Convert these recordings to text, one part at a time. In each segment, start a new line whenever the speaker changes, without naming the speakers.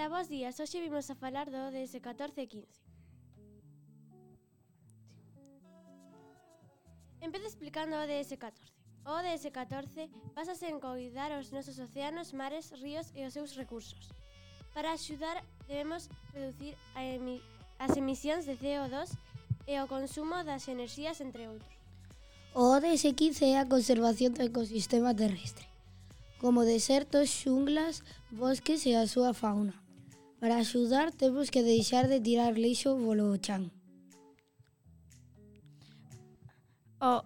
Ola, bos días. Hoxe vimos a falar do ODS 14 e 15. Empezo explicando o ODS 14. O ODS 14 básase en coidar os nosos océanos, mares, ríos e os seus recursos. Para axudar debemos reducir as emisións de CO2 e o consumo das enerxías, entre outros.
O ODS 15 é a conservación do ecosistema terrestre, como desertos, xunglas, bosques e a súa fauna. Para axudar temos que deixar de tirar lixo polo chan.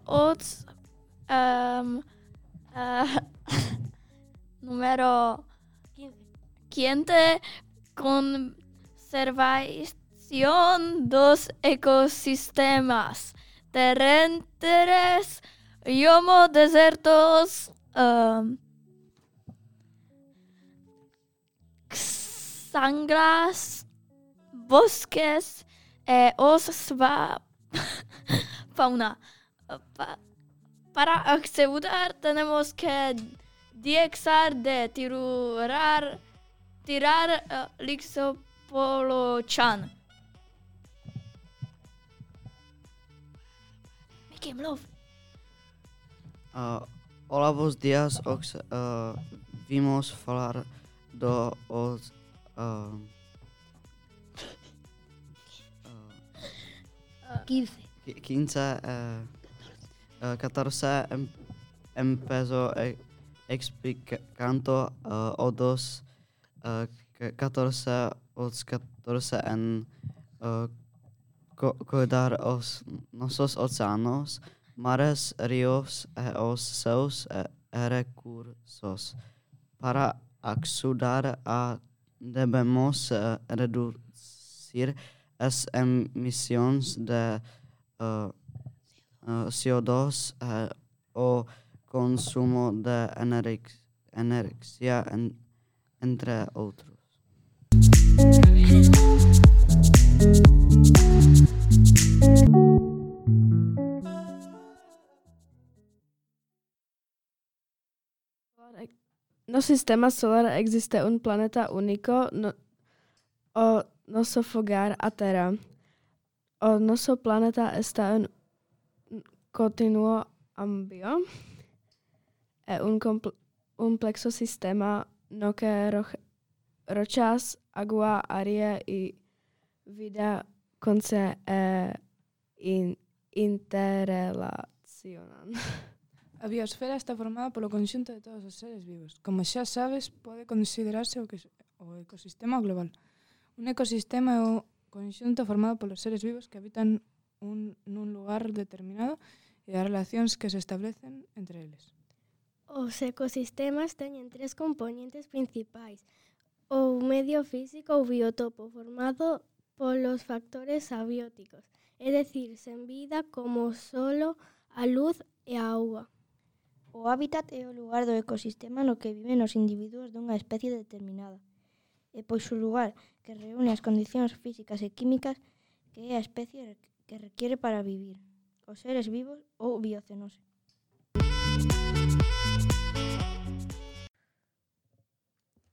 O número 15, conservación dos ecosistemas terrestres, como desertos, sangras, bosques e fauna. Para asegurar tenemos que dejar de tirar lixo polo chan. Make him love.
Olá, bons dias. Vimos falar do
15.
14 empezó explicando o dos 14 en cuidar os nosos oceanos, mares, ríos e os seus recursos. Para ajudar debemos reducir as emissões de CO2 o consumo de energia, entre outros.
No sistema solar existe un planeta único, o nosso fogar, a Terra. O nosso planeta está en continuo cambio. É un complexo sistema no que rochas, agua, aire y vida se interrelacionan.
A biosfera está formada polo conxunto de todos os seres vivos. Como xa sabes, pode considerarse o ecosistema global. Un ecosistema é o conxunto formado polos seres vivos que habitan nun lugar determinado e as relacións que se establecen entre eles.
Os ecosistemas teñen tres componentes principais: o medio físico ou biotopo, formado polos factores abióticos, é dicir, sen vida, como o solo, a luz e a auga.
O hábitat é o lugar do ecosistema no que viven os individuos dunha especie determinada, e pois o lugar que reúne as condicións físicas e químicas que é a especie que requiere para vivir, os seres vivos ou biocenose.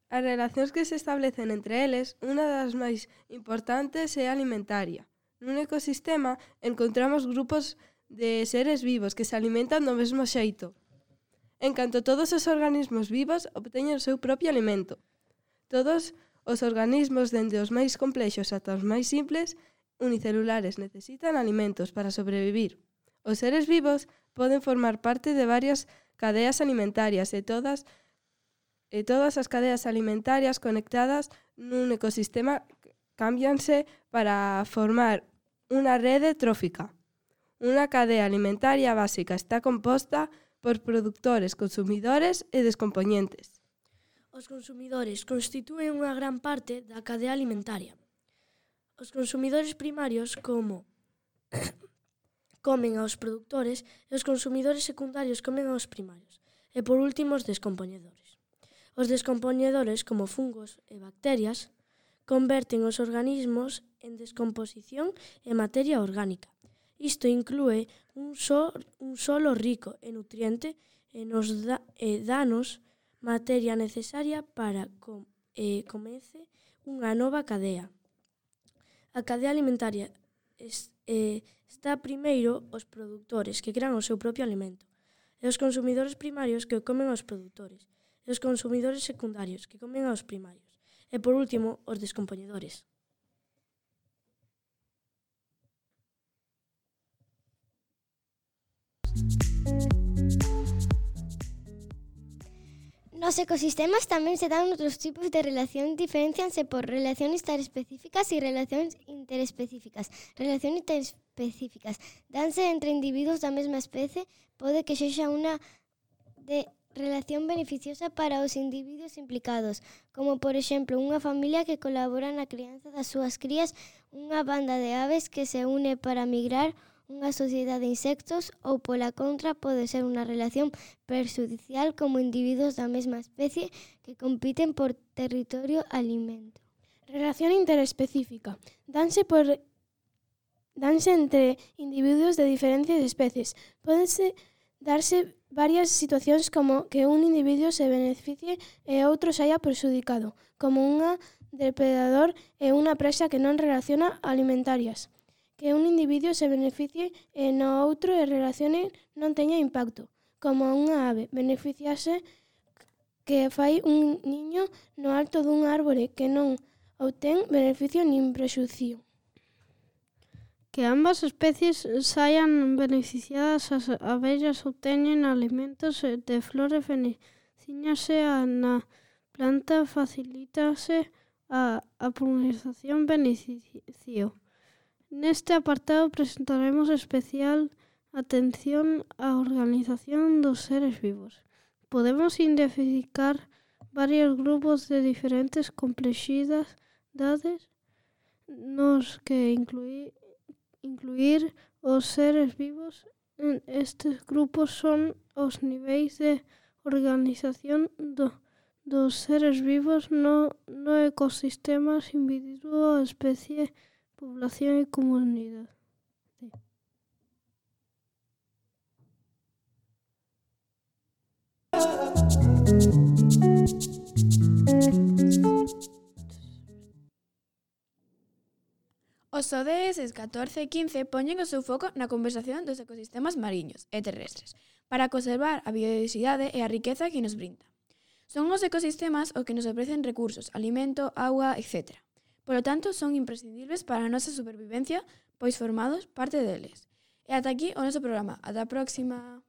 As relacións que se establecen entre eles, unha das máis importantes é a alimentaria. Nun ecosistema encontramos grupos de seres vivos que se alimentan do mesmo xeito. En canto todos os organismos vivos obteñen o seu propio alimento. Todos os organismos, dende os máis complexos ata os máis simples, unicelulares, necesitan alimentos para sobrevivir. Os seres vivos poden formar parte de varias cadeas alimentarias e todas as cadeas alimentarias conectadas nun ecosistema cámbianse para formar unha rede trófica. Unha cadea alimentaria básica está composta por produtores, consumidores e descompoñentes.
Os consumidores constitúen unha gran parte da cadea alimentaria. Os consumidores primarios comen aos produtores e os consumidores secundarios comen aos primarios. E por último, os descompoñedores. Os descompoñedores, como fungos e bacterias, converten os organismos en descomposición e materia orgánica. Isto inclúe un solo rico en nutriente e danos materia necesaria para comece unha nova cadea. A cadea alimentaria está primeiro os produtores que crean o seu propio alimento, e os consumidores primarios que o comen aos produtores, e os consumidores secundarios que comen aos primarios, e por último os descompoñedores.
Nos ecosistemas tamén se dan outros tipos de relacións, diferencianse por relacións interespecíficas e relacións interespecíficas. Relacións interespecíficas danse entre individuos da mesma especie, pode que sexa unha de relación beneficiosa para os individuos implicados, como por exemplo unha familia que colabora na crianza das súas crías, unha banda de aves que se une para migrar, unha sociedade de insectos ou, pola contra, pode ser unha relación perxudicial como individuos da mesma especie que compiten por territorio alimento.
Relación interespecífica. Danse entre individuos de diferentes especies. Pódense darse varias situacións como que un individuo se beneficie e outro saia perxudicado, como unha depredador e unha presa que non relaciona alimentarias. Que un individuo se beneficie e no outro e relacione non teña impacto, como unha ave beneficiase que fai un niño no alto dun árbore que non obtén beneficio nin prexuicio.
Que ambas especies saian beneficiadas, as abellas obteñen alimentos de flores beneficiándose na planta, facilítase a polinización beneficio. Neste apartado presentaremos especial atención á organización dos seres vivos. Podemos identificar varios grupos de diferentes complexidades nos que incluir os seres vivos. Estes grupos son os niveis de organización dos seres vivos no ecosistema, individuo, especie, población e comunidade.
Os ODS 14 e 15 poñen o seu foco na conservación dos ecosistemas mariños e terrestres para conservar a biodiversidade e a riqueza que nos brinda. Son os ecosistemas os que nos ofrecen recursos, alimento, auga, etc. Polo tanto, son imprescindibles para a nosa supervivencia, pois formamos parte deles. E ata aquí o noso programa. Ata a próxima!